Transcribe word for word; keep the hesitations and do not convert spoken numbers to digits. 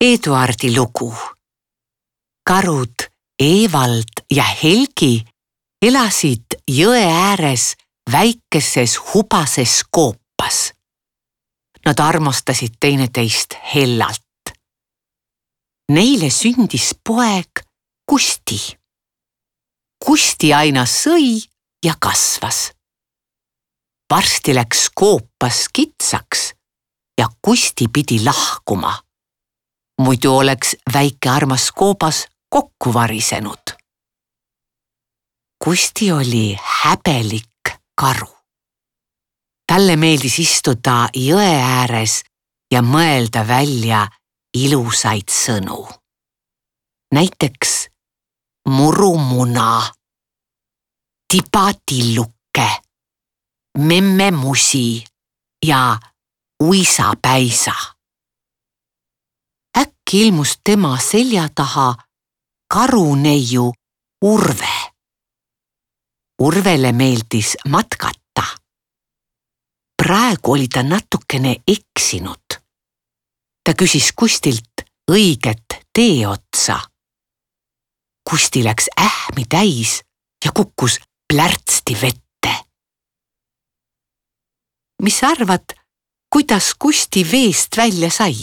Eduardi lugu. Karud Evald ja Helgi elasid jõe ääres väikeses hubases koopas. Nad armastasid teineteist hellalt. Neile sündis poeg Kusti. Kusti aina sõi ja kasvas. Varsti läks koopas kitsaks ja Kusti pidi lahkuma. Muidu oleks väike armas koobas kokku varisenud. Kusti oli häbelik karu. Talle meeldis istuda jõe ääres ja mõelda välja ilusaid sõnu. Näiteks murumuna, tibatilluke, memmemusi ja uisapäisa. Äkki ilmus tema selja taha karuneiu Urve. Urvele meeldis matkata. Praegu oli ta natukene eksinud. Ta küsis Kustilt õiget tee otsa. Kusti läks ähmi täis ja kukkus plärtsti vette. Mis arvad, kuidas Kusti veest välja sai?